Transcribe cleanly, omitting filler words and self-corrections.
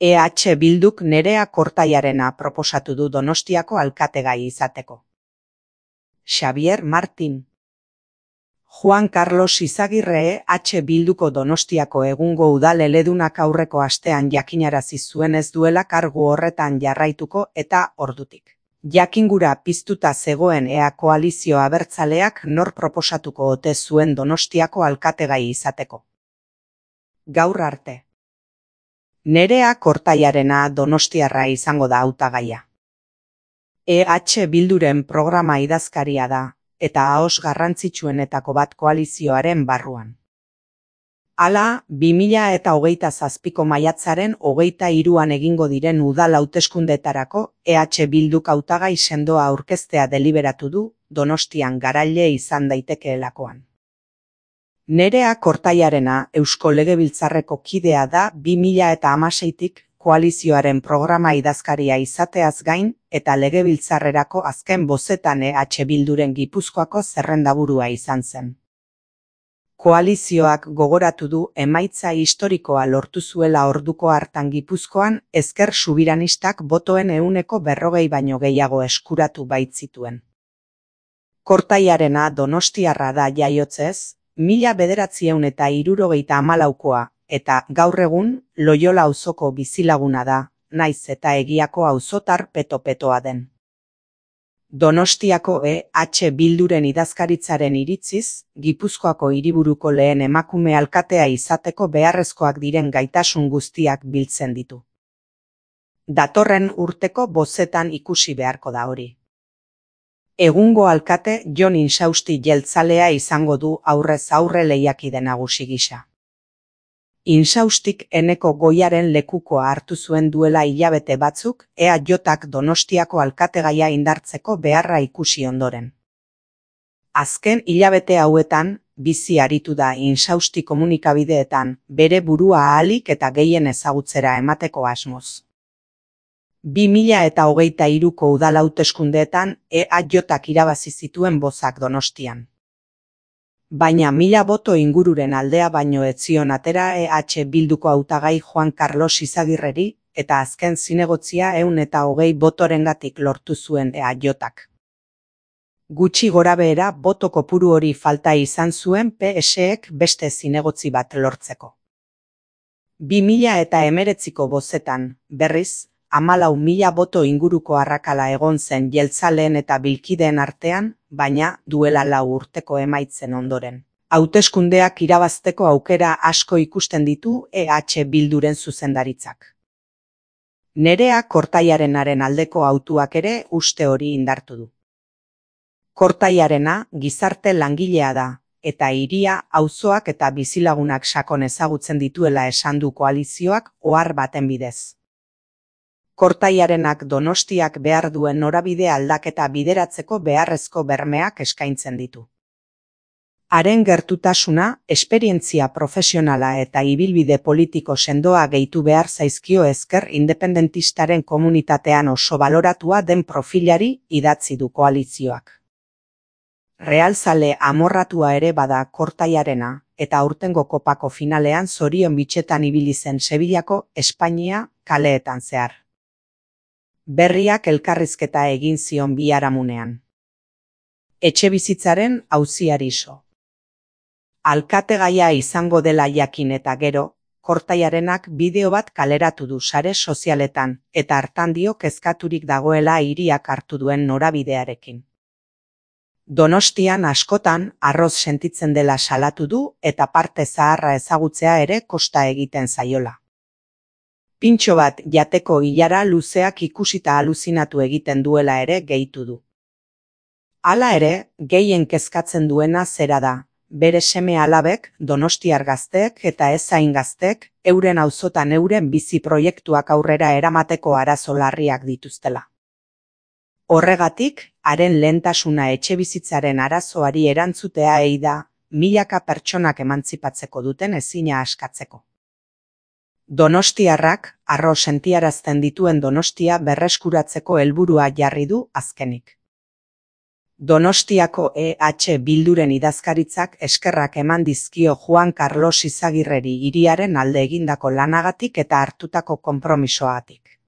EH Bilduk Nerea Kortaiarena proposatu du Donostiako alkategai izateko. Xavier Martin. Juan Carlos Izagirre EH Bilduko Donostiako egungo udal eledunak aurreko astean jakinarazi zuen ez duela kargu horretan jarraituko eta ordutik jakingura piztuta zegoen ea koalizio abertzaleak nor proposatuko ote zuen Donostiako alkategai izateko. Gaur arte. Nerea Kortaiarena donostiarra izango da hautagaia. EH Bilduren programa idazkaria da, eta ahos garrantzitsuenetako bat koalizioaren barruan. Hala, 2027ko maiatzaren 23an egingo diren udal hauteskundeetarako EH Bilduk hautagai sendoa aurkeztea deliberatu du, Donostian garaile izan daitekeelakoan. Nerea Kortaiarena Eusko Legebiltzarreko kidea da 2016tik koalizioaren programa idazkaria izateaz gain eta Legebiltzarrerako azken bozetan EH Bilduren Gipuzkoako zerrendaburua izan zen. Koalizioak gogoratu du emaitza historikoa lortu zuela orduko hartan Gipuzkoan ezker subiranistak botoen 40% baino gehiago eskuratu baitzituen. Kortaiarena donostiarra da jaiotzez, 1974koa, eta gaur egun Loiola auzoko bizilaguna da, naiz eta egiako auzotar peto-petoa den. Donostiako EH Bilduren idazkaritzaren iritziz, Gipuzkoako hiriburuko lehen emakume alkatea izateko beharrezkoak diren gaitasun guztiak biltzen ditu. Datorren urteko bozetan ikusi beharko da hori. Egungo alkate Jon Insausti jeltzalea izango du aurrez aurre lehiakide nagusi gisa. Insaustik Eneko Goiaren lekukoa hartu zuen duela hilabete batzuk EAJak Donostiako alkategaia indartzeko beharra ikusi ondoren. Azken hilabete hauetan, bizi aritu da Insausti komunikabideetan bere burua ahalik eta gehien ezagutzera emateko asmoz. 2023ko udal hauteskundeetan EAJak irabazi zituen bozak Donostian. Baina 1000 boto ingururen aldea baino ez zion atera EH Bilduko hautagai Juan Carlos Izagirreri eta azken zinegotzia 120 botorengatik lortu zuen EAJak. Gutxi gorabehera boto kopuru hori falta izan zuen PSek beste zinegotzi bat lortzeko. 2019ko bozetan, berriz, 14.000 boto inguruko arrakala egon zen jeltzaleen eta bilkideen artean, baina duela 4 urteko emaitzen ondoren. Hauteskundeak irabazteko aukera asko ikusten ditu EH Bilduren zuzendaritzak. Nerea Kortaiarenaren aldeko hautuak ere uste hori indartu du. Kortaiarena gizarte langilea da, eta hiria, auzoak eta bizilagunak sakon ezagutzen dituela esan du koalizioak ohar baten bidez. Kortaiarenak Donostiak behar duen norabide aldaketa bideratzeko beharrezko bermeak eskaintzen ditu. Haren gertutasuna, esperientzia profesionala eta ibilbide politiko sendoa gehitu behar zaizkio ezker independentistaren komunitatean oso baloratua den profilari idatzi du koalizioak. Realzale amorratua ere bada Kortaiarena, eta aurtengo kopako finalean zorion bitxetan ibili zen Sevillako Espainia kaleetan zehar. Berriak elkarrizketa egin zion biharamunean. Etxebizitzaren auziari so. Alkategaia izango dela jakin eta gero, Kortaiarenak bideo bat kaleratu du sare sozialetan, eta hartan dio kezkaturik dagoela hiriak hartu duen norabidearekin. Donostian askotan arroz sentitzen dela salatu du eta parte zaharra ezagutzea ere kosta egiten zaiola. Pintxo bat jateko ilara luzeak ikusita aluzinatu egiten duela ere gehitu du. Hala ere, gehien kezkatzen duena zera da, bere seme alabek, donostiar gazteek eta ez hain gazteek, euren auzotan euren bizi proiektuak aurrera eramateko arazo larriak dituztela. Horregatik, haren lehentasuna etxebizitzaren arazoari erantzutea da, milaka pertsonak emantzipatzeko duten ezina askatzeko. Donostiarrak, harro sentiarazten dituen Donostia berreskuratzeko helburua jarri du azkenik. Donostiako EH Bilduren idazkaritzak eskerrak eman dizkio Juan Carlos Izagirreri hiriaren alde egindako lanagatik eta hartutako konpromisoagatik.